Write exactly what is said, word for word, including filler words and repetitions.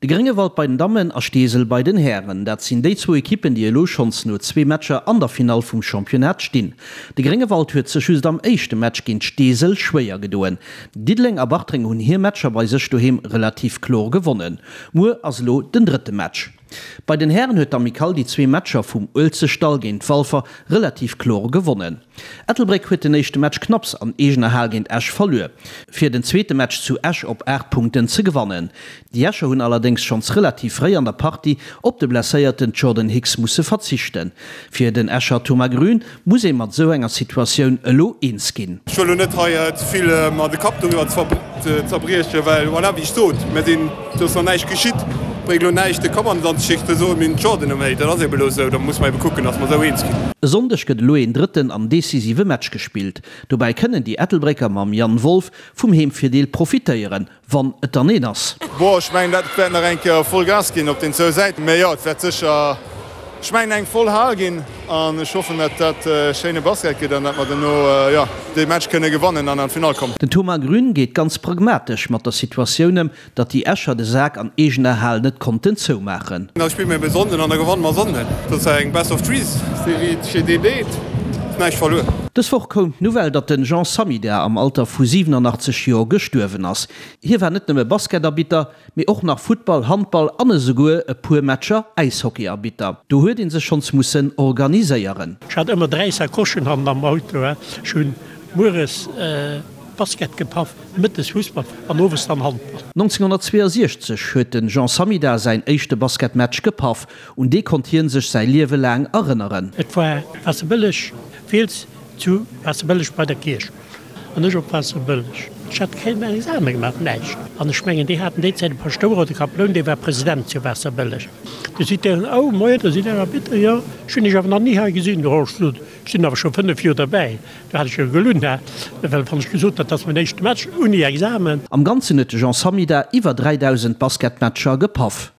De Gréngewald bei den Dammen a Steesel bei den Hären, dat sinn déi zwou Ekippen, déi elo schonns no zwee Matcher an der Finall vum Championnat stinn. De Gréngewald huet sech just am éischte Match géint Steesel schwéier gedoen. Diddeleng a Bartreng hunn hir Matcher bei sech doheem relativ kloer gewonnen. Muer ass elo den drëtte Match. Bei den Hären huet d'Amicale déi zwee Matcher vum Uelzechtdall géint Walfer relativ kloer gewonnen. Ettelbréck huet den éischte Match knapps an eegener Hal géint Esch verluer, fir den zweete Match zu Esch op aacht Punkten ze gewannen. Déi Escher hunn allerdéngs schonns relativ fréi an der Partie op de blesséierten Jordan Hicks musse verzichten. Fir den Escher Thomas Grün muss ee mat esou enger Situatioun elo eens ginn. Ech wëll elo net hei ze vill mer de Kapp doriwwer zerbriechen, well voilà, wéi ech sot, mir sinn, do ass nach näischt geschitt. Bréngt elo näischt de Kapp an den Sand ze schicken, ze soen, mir hunn Jordan elo méi. Dat ass ebe elo esou, da musse mer ebe kucken, datt mer esou eens ginn. E Sonndeg gëtt elo een drëtten an decisive Match gespillt. Dobäi kënnen déi Ettelbrécker mam Yann Wolff vum Heemvirdeel profitéieren, wann et dann een ass. Bon, ech mengen, dat wäert nach eng Kéier voll Gas ginn op den zwou Säiten. Mee jo, et wäert sécher, ech mengen, eng voll Hal ginn an ech hoffen, datt dat schéine Basket gëtt an datt mer duerno, jo, dee Match kënne gewannen an an d'Finall kommen. Den Thomas Grün geet ganz pragmatesch mat der Situatioun ëm, datt déi Escher de Sak an eegener Hal net konnten zoumaachen. Da spille mir ebe Sonnden an da gewanne mer Sonnden. Dat ass eng Best-of-Three-Serie, steet een deet, ass näischt verluer. Dës Woch koum d'Nouvelle, datt den Jean Samida am Alter vu siwenanachtzeg Joer gestuerwen ass. Hie war net nëmme Basketarbitter, mee och nach Futtball-, Handball an esouguer e puer Matcher Äishockey-Arbitter. Do huet ee sech schonns mussen organiséieren. Ech hat ëmmer dräi Sacochen hannen am Auto. Ech hunn mueres Basket gepaff, mëttes Fussball an owes dann Handball. nonzénghonnertzweeënsiechzeg huet de Jean Samida säin éischte Basketmatch gepaff. Un dee konnt hie sech säi Liewe laang erënneren. Et war Waasserbëlleg, Fiels zu Waasserbëlleg bei der Kierch an ech op Waasserbëlleg. Ech hat keen Exame gemaach, näischt. An ech mengen, déi haten déi Zäit e Paschtouer oder e Kaploun, dee war President zu Waasserbëlleg. Du seet deen, Oh, moien, da sidd Der Arbitter? Jo, ech hunn Iech awer nach ni hei gesinn. Jo, ech sot, ech sinn awer scho fënnef Joer derbäi. Do hat ech jo gelunn, hä, well wann ech gesot hätt, dat ass mäin éischte Match ouni Examen. Am Ganzen huet de Jean Samida iwwer dräidausend Basketmatcher gepaff.